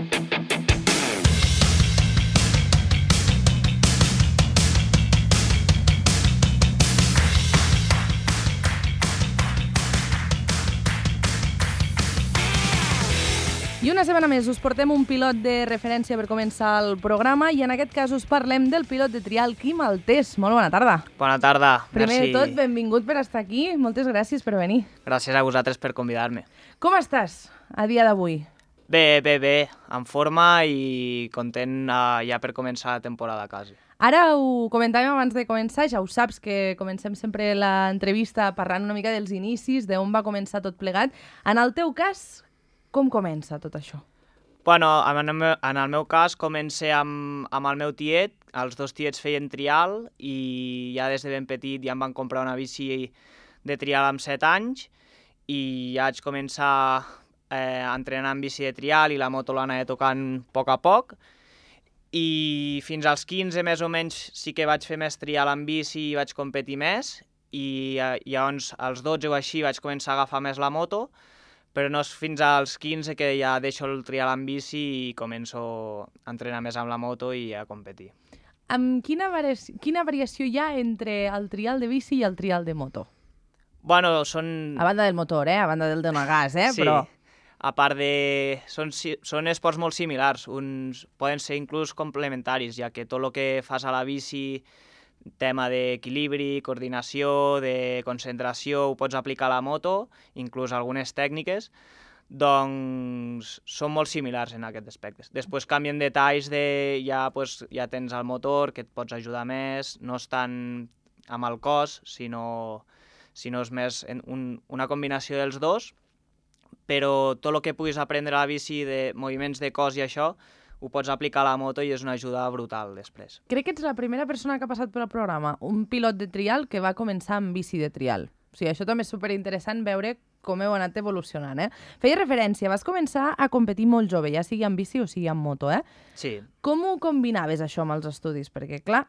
I una setmana més us portem un pilot de referència per començar el programa i en aquest cas us parlem del pilot de trial Quim Altés. Molt bona tarda. Bona tarda, Primer merci. de tot, benvingut per estar aquí. Moltes gràcies per venir. Gràcies a vosaltres per convidar-me. Com estàs a dia d'avui? Bé, en forma i content ja per començar la temporada quasi. Ara ho comentàvem abans de començar, ja ho saps que comencem sempre l'entrevista parlant una mica dels inicis, d'on va començar tot plegat. En el teu cas, com comença tot això? Bueno, en el meu cas comencé amb el meu tiet, els dos tiets feien trial i ja des de ben petit ja em van comprar una bici de trial amb 7 anys i ja vaig començar a entrenar en bici de trial i la moto l'anava tocant a poc i fins als 15 més o menys sí que vaig fer més trial en bici i vaig competir més i llavors als 12 o així vaig començar a agafar més la moto, però no és fins als 15 que ja deixo el trial en bici i començo a entrenar més amb la moto i a competir. Quina variació hi ha entre el trial de bici i el trial de moto? Bueno, són... A banda del motor, a banda del donar gas, Sí, però... a part de... Són esports molt similars, poden ser inclús complementaris, ja que tot el que fas a la bici, tema d'equilibri, coordinació, de concentració, ho pots aplicar a la moto, inclús algunes tècniques, doncs són molt similars en aquests aspectes. Després canvien detalls ja tens el motor, que et pots ajudar més, no és tant amb el cos, sinó és més una combinació dels dos, però tot el que puguis aprendre a la bici de moviments de cos i això, ho pots aplicar a la moto i és una ajuda brutal després. Crec que ets la primera persona que ha passat pel programa, un pilot de trial que va començar amb bici de trial. O sigui, això també és superinteressant veure com heu anat evolucionant, Feia referència, vas començar a competir molt jove, ja sigui amb bici o sigui amb moto, Sí. Com ho combinaves això amb els estudis? Perquè, clar,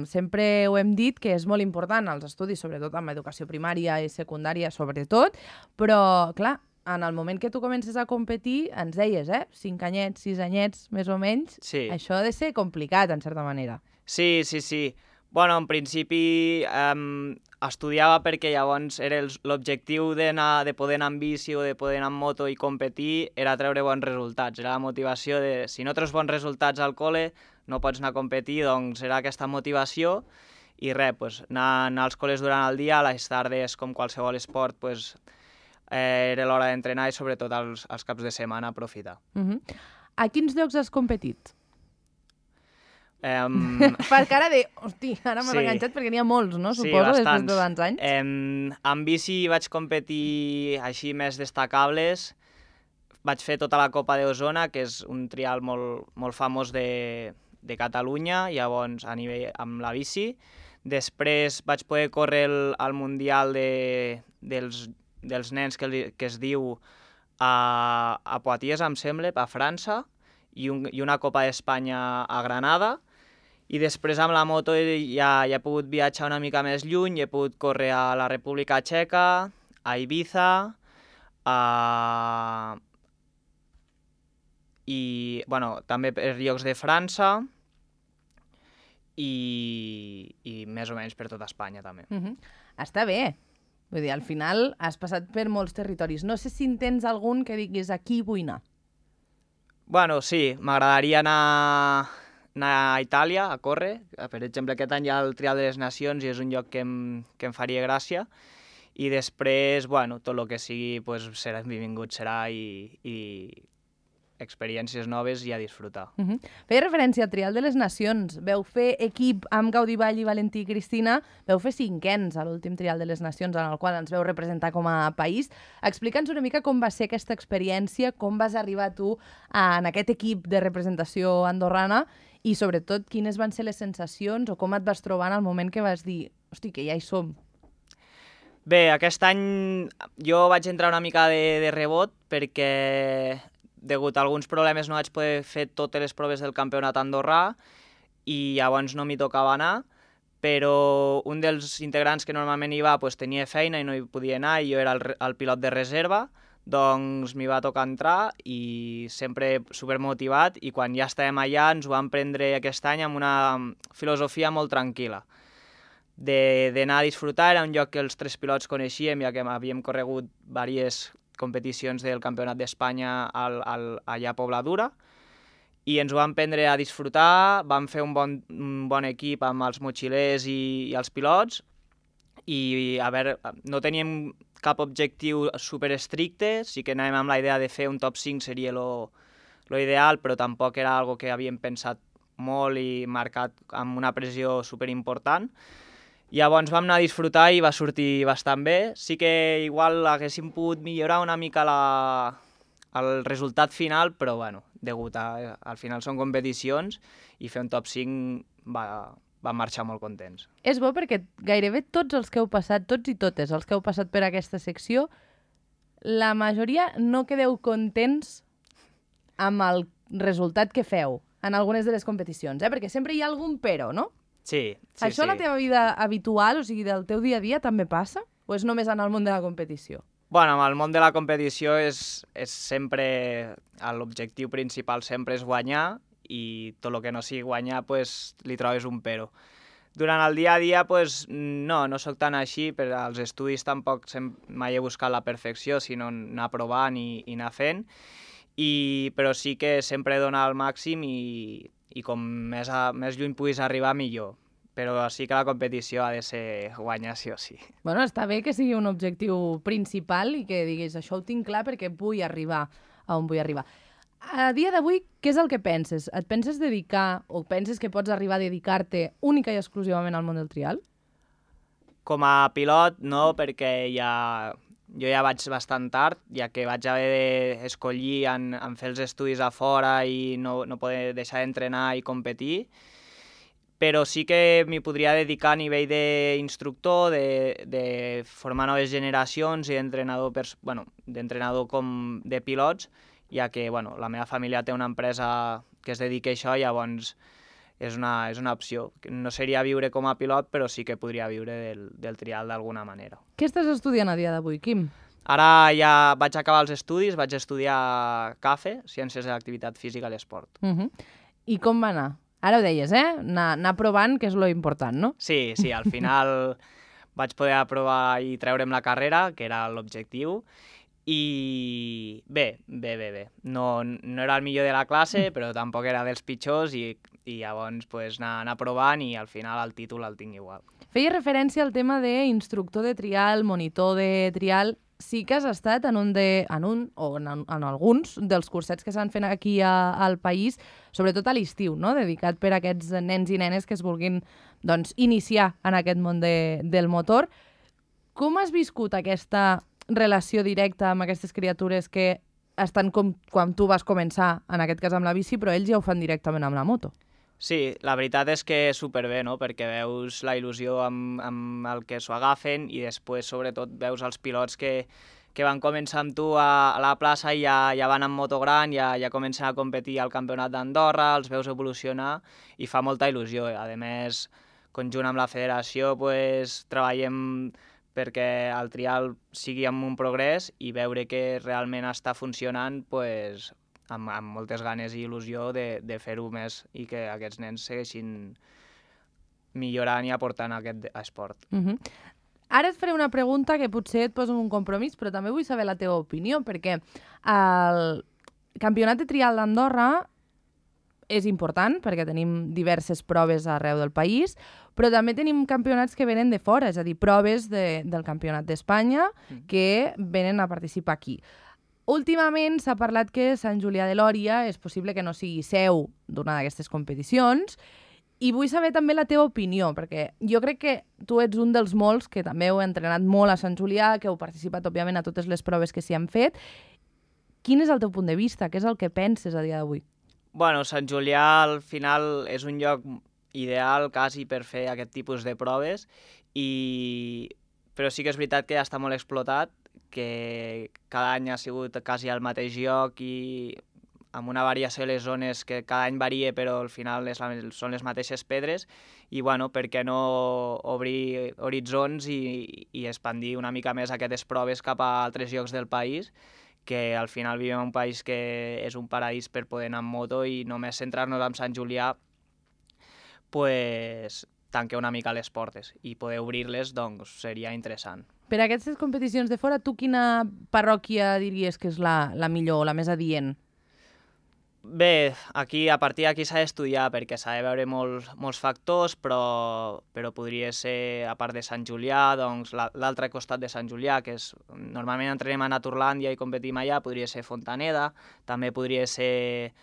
sempre ho hem dit que és molt important els estudis, sobretot amb educació primària i secundària, sobretot, però, clar, en el moment que tu comences a competir, ens deies, 5 anyets, 6 anyets, més o menys, Sí. Això ha de ser complicat, en certa manera. Sí. Bueno, en principi estudiava perquè llavors era l'objectiu de poder anar amb bici o de poder anar amb moto i competir era treure bons resultats. Era la motivació de, si no treus bons resultats al col·le, no pots anar a competir, doncs era aquesta motivació i res, anar als col·les durant el dia, a les tardes, com qualsevol esport, era l'hora d'entrenar i sobretot els caps de setmana aprofitar. A quins llocs has competit? Per cara de, hosti, ara m'has enganxat perquè n'hi ha molts, no? Suposo, després de tants anys. En bici vaig competir així més destacables. Vaig fer tota la Copa d'Osona, que és un trial molt famós de Catalunya, llavors a nivell amb la bici. Després vaig poder córrer el Mundial dels nens que es diu a Poitiers, em sembla, a França, i una Copa d'Espanya a Granada. I després amb la moto ja he pogut viatjar una mica més lluny, he pogut córrer a la República Txeca, a Ibiza, i també per llocs de França i més o menys per tota Espanya també. Està bé. Vull dir, al final has passat per molts territoris. No sé si en tens algun que diguis aquí vull anar. Bueno, sí, m'agradaria anar a Itàlia a córrer. Per exemple, aquest any hi ha el Trial de les Nacions i és un lloc que em faria gràcia. I després, tot el que sigui, serà benvingut, serà i experiències noves i a disfrutar. Feia referència al Trial de les Nacions. Veu fer equip amb Gaudí Vall i Valentí Cristina, veu fer 5ens a l'últim Trial de les Nacions, en el qual ens veu representar com a país. Explica'ns una mica com va ser aquesta experiència, com vas arribar tu en aquest equip de representació andorrana i, sobretot, quines van ser les sensacions o com et vas trobar en el moment que vas dir, hosti, que ja hi som. Bé, aquest any jo vaig entrar una mica de rebot perquè degut a alguns problemes no vaig poder fer totes les proves del campionat andorrà i llavors no m'hi tocava anar, però un dels integrants que normalment hi va tenia feina i no hi podia anar i jo era el pilot de reserva, doncs m'hi va tocar entrar i sempre supermotivat, i quan ja estàvem allà ens ho vam prendre aquest any amb una filosofia molt tranquil·la. D'anar a disfrutar, era un lloc que els 3 pilots coneixíem, ja que havíem corregut diverses competicions del Campionat d'Espanya allà a Pobladura, i ens ho vam prendre a disfrutar, vam fer un bon equip amb els motxilers i els pilots, i a veure, no teníem cap objectiu super estricte, sí que anàvem amb la idea de fer un top 5 seria lo ideal, però tampoc era algo que havíem pensat molt i marcat amb una pressió super important. Llavors vam anar a disfrutar i va sortir bastant bé. Sí que igual haguéssim pogut millorar una mica el resultat final, però bueno, al final són competicions i fer un top 5 va marxar molt contents. És bo perquè gairebé tots els que heu passat, tots i totes els que heu passat per aquesta secció, la majoria no quedeu contents amb el resultat que feu en algunes de les competicions, perquè sempre hi ha algun però, no? Sí. Això a la teva vida habitual, o sigui, del teu dia a dia, també passa? O és només en el món de la competició? Bueno, amb el món de la competició és sempre... L'objectiu principal sempre és guanyar, i tot el que no sigui guanyar pues, li trobes un però. Durant el dia a dia pues, no sóc tan així, però als estudis tampoc mai he buscat la perfecció, sinó anar provant i anar fent, però sí que sempre donar el màxim i com més lluny puguis arribar, millor. Però sí que la competició ha de ser guanyar sí o sí. Bueno, està bé que sigui un objectiu principal i que diguis això ho tinc clar perquè vull arribar a on vull arribar. A dia d'avui, què és el que penses? Et penses dedicar o penses que pots arribar a dedicar-te única i exclusivament al món del trial? Com a pilot, no, perquè jo ja vaig bastant tard, ja que vaig haver d'escollir en fer els estudis a fora i no poder deixar d'entrenar i competir, però sí que m'hi podria dedicar a nivell d'instructor, de formar noves generacions i d'entrenador com de pilots, ja que la meva família té una empresa que es dedica a això, llavors és una opció. No seria viure com a pilot, però sí que podria viure del trial d'alguna manera. Què estàs estudiant a dia d'avui, Quim? Ara ja vaig acabar els estudis, vaig estudiar CAFE, Ciències de l'Activitat Física i l'Esport. I com va anar? Ara ho deies, anar provant, que és lo important, no? Sí, al final vaig poder aprovar i treure'm la carrera, que era l'objectiu, i bé. No era el millor de la classe, però tampoc era dels pitjors, i llavors anar provant, i al final el títol el tinc igual. Feia referència al tema d'instructor de trial, monitor de trial. Sí que has estat en alguns dels cursets que s'han fet aquí al país, sobretot a l'estiu, no? Dedicat per a aquests nens i nenes que es vulguin iniciar en aquest món del motor. Com has viscut aquesta relació directa amb aquestes criatures que estan com quan tu vas començar, en aquest cas amb la bici, però ells ja ho fan directament amb la moto? Sí, la veritat és que superbé, no? Perquè veus la il·lusió amb el que s'ho agafen, i després, sobretot, veus els pilots que van començar amb tu a la plaça i ja van amb moto gran, ja comencen a competir al Campionat d'Andorra, els veus evolucionar i fa molta il·lusió. A més, conjunt amb la federació, treballem perquè el trial sigui amb un progrés, i veure que realment està funcionant, amb moltes ganes i il·lusió de fer-ho més i que aquests nens segueixin millorant i aportant aquest esport. Ara et faré una pregunta que potser et posa en un compromís, però també vull saber la teva opinió, perquè el Campionat de Trial d'Andorra és important, perquè tenim diverses proves arreu del país, però també tenim campionats que venen de fora, és a dir, proves del Campionat d'Espanya que venen a participar aquí. Últimament s'ha parlat que Sant Julià de Lòria és possible que no sigui seu d'una d'aquestes competicions, i vull saber també la teva opinió, perquè jo crec que tu ets un dels molts que també heu entrenat molt a Sant Julià, que heu participat, òbviament, a totes les proves que s'hi han fet. Quin és el teu punt de vista? Què és el que penses a dia d'avui? Bueno, Sant Julià al final és un lloc ideal quasi per fer aquest tipus de proves, però sí que és veritat que ja està molt explotat, que cada any ha sigut quasi al mateix lloc i amb una variació de les zones que cada any varia, però al final són les mateixes pedres, i per què no obrir horitzons i expandir una mica més aquestes proves cap a altres llocs del país, que al final vivim en un país que és un paradís per poder anar amb moto i només centrar-nos en Sant Julià, pues, tanque una mica les portes i poder obrir-les, doncs, seria interessant. Per aquestes competicions de fora, tu quina parròquia diries que és la millor o la més adient? Bé, aquí, a partir d'aquí s'ha d'estudiar perquè s'ha de veure molts factors, però podria ser, a part de Sant Julià, doncs l'altre costat de Sant Julià, que és, normalment entrenem a Naturlàndia i competim allà, podria ser Fontaneda, també podria ser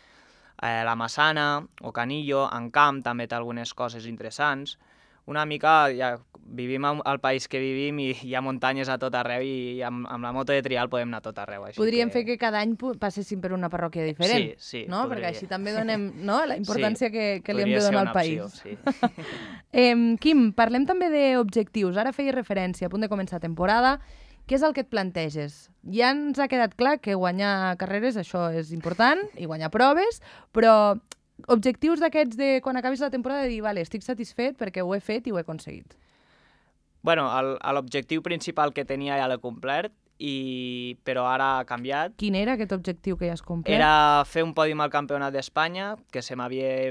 la Massana o Canillo, en camp també té algunes coses interessants. Una mica, ja vivim al país que vivim i hi ha muntanyes a tot arreu i amb la moto de trial podem anar a tot arreu. Així Podríem fer que cada any passéssim per una parròquia diferent, sí, no? podria. Perquè així també donem la importància que li hem de Podria ser donar al una país. opció, sí. Quim, parlem també d'objectius. Ara feies referència, a punt de començar temporada. Què és el que et planteges? Ja ens ha quedat clar que guanyar carreres, això és important, i guanyar proves, però objectius d'aquests de quan acabis la temporada de dir, vale, estic satisfet perquè ho he fet i ho he aconseguit. Bueno, l'objectiu principal que tenia ja l'he complert, però ara ha canviat. Quin era aquest objectiu que ja has complert? Era fer un pòdium al Campionat d'Espanya, que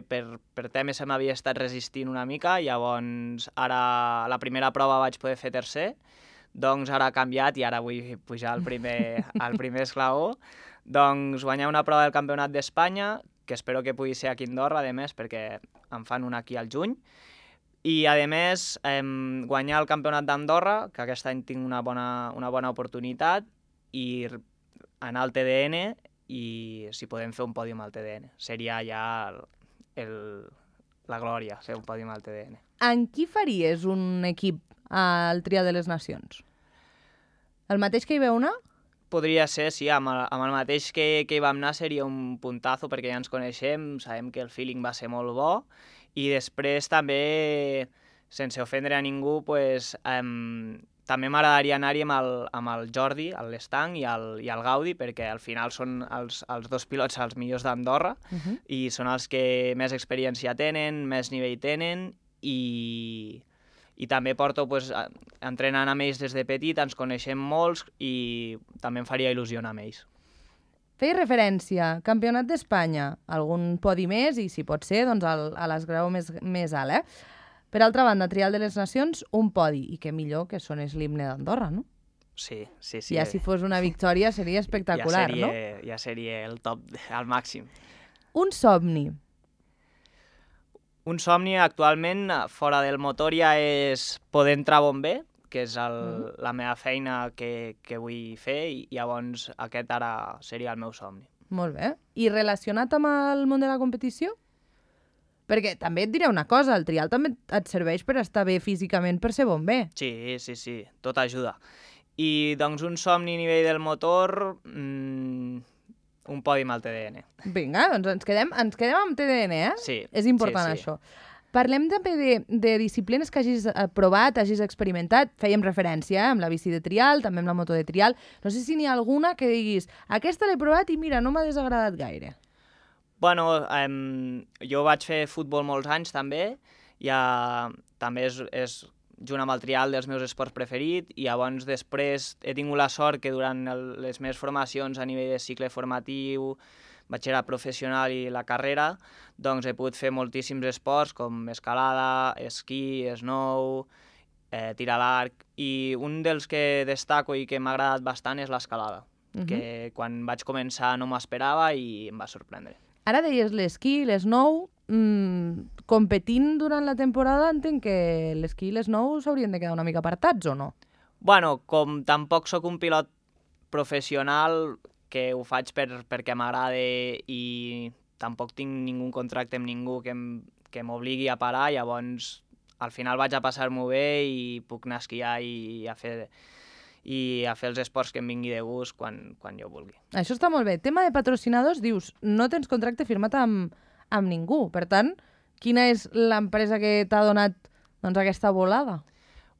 per temes se m'havia estat resistint una mica, llavors ara la primera prova vaig poder fer tercer, doncs ara ha canviat i ara vull pujar al primer esglaó. Doncs guanyar una prova del Campionat d'Espanya, que espero que pugui ser aquí a Andorra, a més, perquè en fan una aquí al juny. I, a més, guanyar el Campionat d'Andorra, que aquest any tinc una bona oportunitat, i anar al TDN i si podem fer un pòdium al TDN. Seria ja la glòria, fer un pòdium al TDN. En qui faries un equip al Trial de les Nacions? El mateix que hi veu anar? Podria ser, sí, amb el mateix que hi vam anar seria un puntazo perquè ja ens coneixem, sabem que el feeling va ser molt bo i després també, sense ofendre a ningú, pues, també m'agradaria anar-hi amb el Jordi, l'Estang i el Gaudi, perquè al final són els dos pilots els millors d'Andorra i són els que més experiència tenen, més nivell tenen i també porto entrenant amb ells des de petit, ens coneixem molts i també em faria il·lusió anar amb ells. Feies referència, Campionat d'Espanya, algun podi més i, si pot ser, doncs a l'esgrau més alt, Per altra banda, Trial de les Nacions, un podi, i què millor que sonés l'himne d'Andorra, no? Sí. Ja si fos una victòria seria espectacular, no? Ja seria el top, al màxim. Un somni. Un somni actualment, fora del motor, ja és poder entrar a bomber, que és la meva feina que vull fer, i llavors aquest ara seria el meu somni. Molt bé. I relacionat amb el món de la competició? Perquè també et diré una cosa, el trial també et serveix per estar bé físicament per ser bomber. Sí, tot ajuda. I doncs un somni a nivell del motor, un pòdium al TDN. Vinga, doncs ens quedem amb TDN, eh? Sí. És important això. Parlem també de disciplines que hagis provat, hagis experimentat. Fèiem referència amb la bici de trial, també amb la moto de trial. No sé si n'hi ha alguna que diguis aquesta l'he provat i mira, no m'ha desagradat gaire. Bueno, jo vaig fer futbol molts anys també, també és junt amb el trial dels meus esports preferits, i llavors després he tingut la sort que durant les meves formacions a nivell de cicle formatiu, batxillerat professional i la carrera, doncs he pogut fer moltíssims esports com escalada, esquí, snow, tir a l'arc, i un dels que destaco i que m'ha agradat bastant és l'escalada, que quan vaig començar no m'esperava i em va sorprendre. Ara deies l'esquí, l'snow, competint durant la temporada entenc que l'esquí i l'snow s'haurien de quedar una mica apartats, o no? Bueno, com tampoc sóc un pilot professional, que ho faig perquè m'agrada i tampoc tinc ningú contracte amb ningú que m'obligui a parar, llavors al final vaig a passar-m'ho bé i puc anar a esquiar i a fer els esports que em vingui de gust quan jo vulgui. Això està molt bé. Tema de patrocinadors, dius, no tens contracte firmat amb ningú. Per tant, quina és l'empresa que t'ha donat aquesta volada?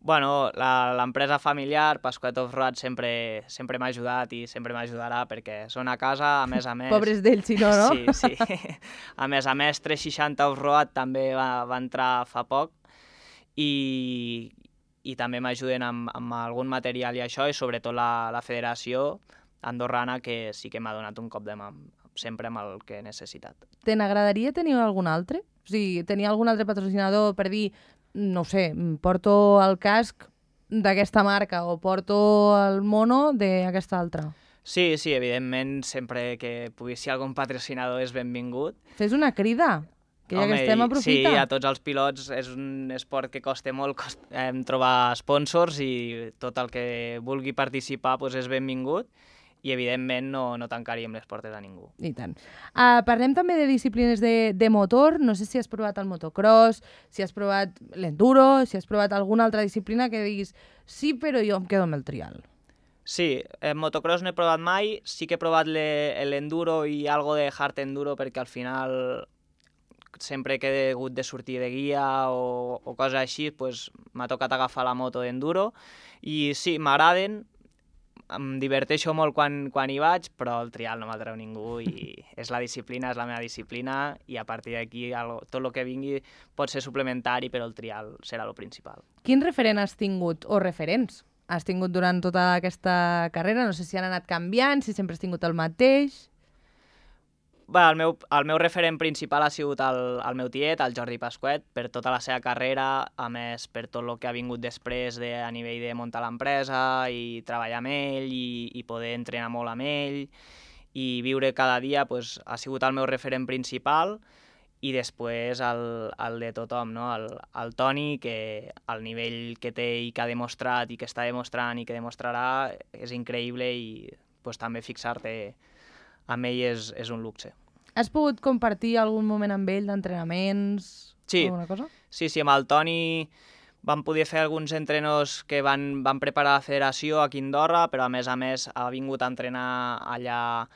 Bueno, l'empresa familiar, Pasquet Off-Road, sempre m'ha ajudat i sempre m'ajudarà perquè són a casa, a més. Pobres d'ells, si no, no? Sí. A més, 360 Off-Road també va entrar fa poc i també m'ajuden amb algun material i això, i sobretot la federació andorrana, que sí que m'ha donat un cop de mà sempre amb el que he necessitat. Te n'agradaria tenir algun altre? O sigui, tenir algun altre patrocinador per dir, no sé, porto el casc d'aquesta marca o porto el mono d'aquesta altra? Sí, evidentment, sempre que pugui ser algun patrocinador és benvingut. Fes una crida, que ja que estem, aprofita. Sí, a tots els pilots és un esport que costa molt trobar sponsors i tot el que vulgui participar és benvingut i, evidentment, no tancaríem les portes a ningú. I tant. Parlem també de disciplines de motor. No sé si has provat el motocross, si has provat l'enduro, si has provat alguna altra disciplina que diguis sí, però jo em quedo amb el trial. Sí, en motocross no he provat mai, sí que he provat l'enduro i algo de hard enduro perquè al final sempre que he hagut de sortir de guia o coses així, m'ha tocat agafar la moto d'enduro i sí, m'agraden, em diverteixo molt quan hi vaig, però el trial no m'atreu ningú i és la disciplina, és la meva disciplina i a partir d'aquí tot el que vingui pot ser suplementari, però el trial serà el principal. Quin referent has tingut o referents has tingut durant tota aquesta carrera? No sé si han anat canviant, si sempre has tingut el mateix. El meu referent principal ha sigut el meu tiet, el Jordi Pasquet, per tota la seva carrera, a més per tot el que ha vingut després a nivell de muntar l'empresa i treballar amb ell i poder entrenar molt amb ell i viure cada dia ha sigut el meu referent principal i després el de tothom, no? El Toni, que el nivell que té i que ha demostrat i que està demostrant i que demostrarà és increïble i també fixar-te amb ell és un luxe. Has pogut compartir algun moment amb ell d'entrenaments? Sí, alguna cosa? Sí, amb el Toni vam poder fer alguns entrenos que van preparar la federació aquí a Andorra, però a més ha vingut a entrenar allà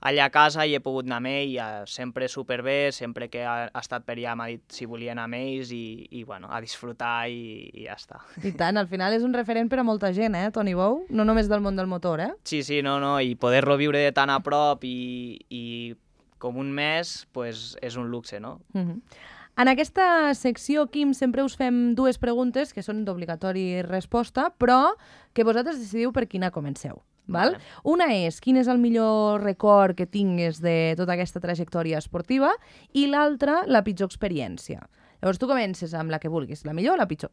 a casa i he pogut anar amb ell, sempre superbé, sempre que ha estat per allà m'ha dit si volia anar amb ells i a disfrutar i ja està. I tant, al final és un referent per a molta gent, Toni Bou? No només del món del motor, Sí, no, i poder-lo viure de tan a prop i com un mes, és un luxe, no? En aquesta secció, Quim, sempre us fem dues preguntes que són d'obligatori resposta, però que vosaltres decidiu per quina comenceu. Val? Una és, quin és el millor record que tingues de tota aquesta trajectòria esportiva i l'altra, la pitjor experiència. Llavors tu comences amb la que vulguis, la millor o la pitjor?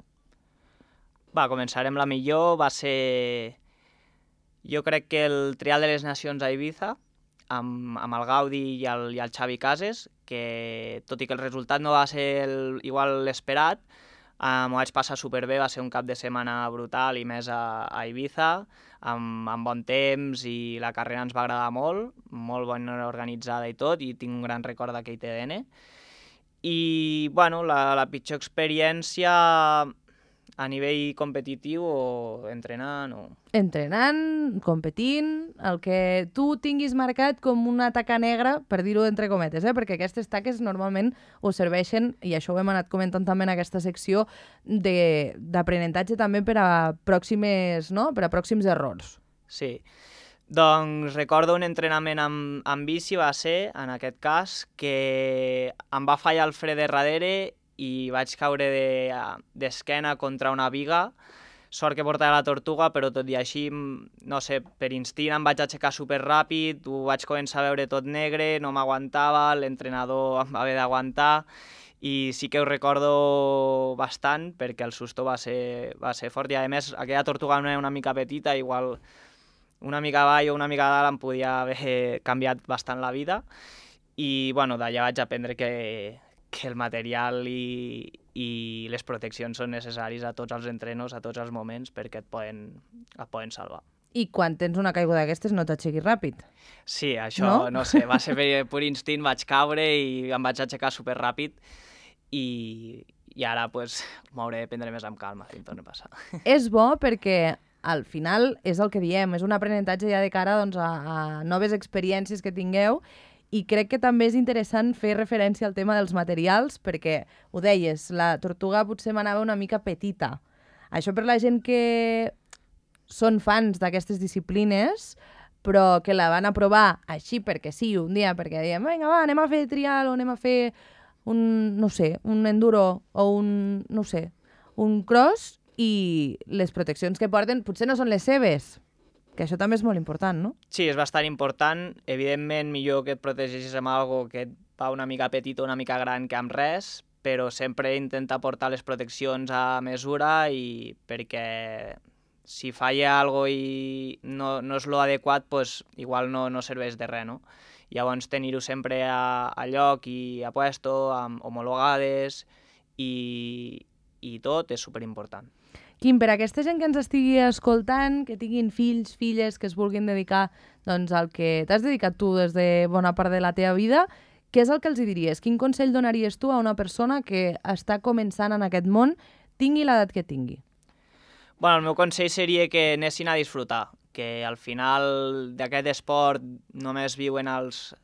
Començarem la millor, va ser... Jo crec que el Trial de les Nacions a Ibiza, amb el Gaudi i el Xavi Cases, que tot i que el resultat no va ser igual l'esperat, m'ho vaig passar superbé, va ser un cap de setmana brutal i més a Ibiza, amb bon temps i la carrera ens va agradar molt ben organitzada i tot, i tinc un gran record d'aquell TDN. I, la pitjor experiència a nivell competitiu o entrenant o... Entrenant, competint, el que tu tinguis marcat com una taca negra, per dir-ho entre cometes, perquè aquestes taques normalment us serveixen, i això ho hem anat comentant també en aquesta secció, d'aprenentatge també per a pròxims errors. Sí. Doncs recordo un entrenament amb bici, va ser, en aquest cas, que em va fallar el fre de darrere i vaig caure d'esquena contra una viga. Sort que portava la Tortuga, però tot i així, no sé, per instint em vaig aixecar superràpid, ho vaig començar a veure tot negre, no m'aguantava, l'entrenador em va haver d'aguantar i sí que ho recordo bastant perquè el susto va ser fort i a més aquella Tortuga no era una mica petita, igual una mica avall o una mica dalt em podia haver canviat bastant la vida i d'allà vaig aprendre que el material i les proteccions són necessaris a tots els entrenos, a tots els moments, perquè et poden salvar. I quan tens una caiguda d'aquestes no t'aixequis ràpid. Sí, això no sé, va ser per pur instint, vaig caure i em vaig aixecar superràpid i ara m'hauré de prendre més amb calma si em torna a passar. És bo perquè al final és el que diem, és un aprenentatge ja de cara a noves experiències que tingueu. I crec que també és interessant fer referència al tema dels materials, perquè, ho deies, la Tortuga potser m'anava una mica petita. Això per la gent que són fans d'aquestes disciplines, però que la van a provar així perquè sí, un dia, perquè diem, vinga, va, anem a fer trial o anem a fer un enduro o un cross, i les proteccions que porten potser no són les seves. Que això també és molt important, no? Sí, és bastant important. Evidentment, millor que et protegeixis amb algo que et va una mica petit o una mica gran que amb res, però sempre intenta portar les proteccions a mesura i perquè si falla algo i no és lo adequat, pues, igual no serveix de res, no? Llavors, tenir-ho sempre a lloc i a puesto, homologades i tot és superimportant. Quim, per a aquesta gent que ens estigui escoltant, que tinguin fills, filles, que es vulguin dedicar doncs, al que t'has dedicat tu des de bona part de la teva vida, què és el que els diries? Quin consell donaries tu a una persona que està començant en aquest món, tingui l'edat que tingui? Bueno, el meu consell seria que anessin a disfrutar, que al final d'aquest esport només viuen els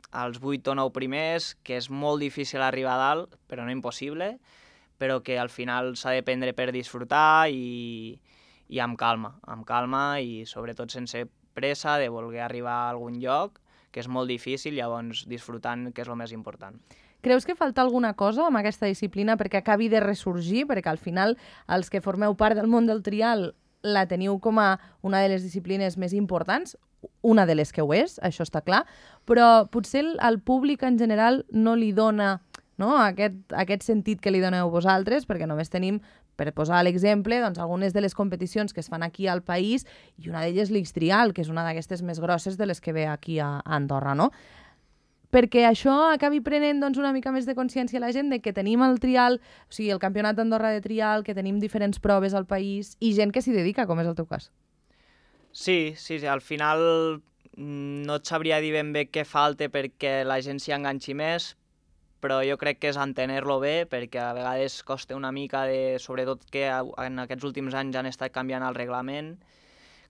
8 o 9 primers, que és molt difícil arribar a dalt, però no impossible, però que al final s'ha de prendre per disfrutar i amb calma i sobretot sense pressa de voler arribar a algun lloc, que és molt difícil, llavors disfrutant, que és el més important. Creus que falta alguna cosa amb aquesta disciplina perquè acabi de ressorgir? Perquè al final els que formeu part del món del trial la teniu com a una de les disciplines més importants, una de les que ho és, això està clar, però potser al públic en general no li dona, no, aquest sentit que li doneu vosaltres, perquè només tenim, per posar l'exemple, doncs, algunes de les competicions que es fan aquí al país i una d'elles l'X-Trial, que és una d'aquestes més grosses de les que ve aquí a Andorra, no? Perquè això acabi prenent doncs, una mica més de consciència a la gent de que tenim el trial, o sigui, el Campionat d'Andorra de trial, que tenim diferents proves al país i gent que s'hi dedica, com és el teu cas. Sí, al final no et sabria dir ben bé què falta perquè la gent s'hi enganxi més, però jo crec que és entenir-lo bé, perquè a vegades costa una mica, sobretot que en aquests últims anys han estat canviant el reglament,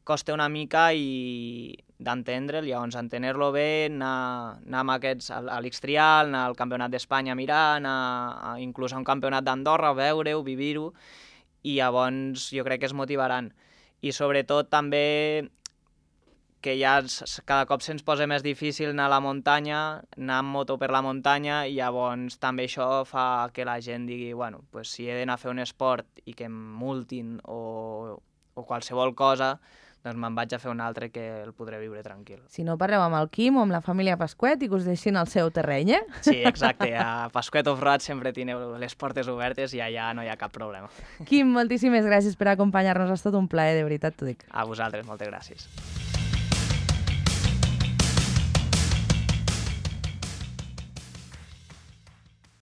costa una mica d'entendre'l, llavors entenir-lo bé, anar a l'X-Trial, anar al Campionat d'Espanya a mirar, anar inclús a un Campionat d'Andorra, veure-ho, vivir-ho, i llavors jo crec que es motivaran. I sobretot també que ja cada cop se'ns posa més difícil anar a la muntanya, anar amb moto per la muntanya, i llavors també això fa que la gent digui, bueno, pues si he d'anar a fer un esport i que em multin o qualsevol cosa, doncs me'n vaig a fer un altre que el podré viure tranquil. Si no, parleu amb el Quim o amb la família Pasquet i que us deixin al seu terreny, eh? Sí, exacte. A Pasquet Off-Road sempre teniu les portes obertes i allà no hi ha cap problema. Quim, moltíssimes gràcies per acompanyar-nos. Ha estat un plaer, de veritat t'ho dic. A vosaltres, moltes gràcies.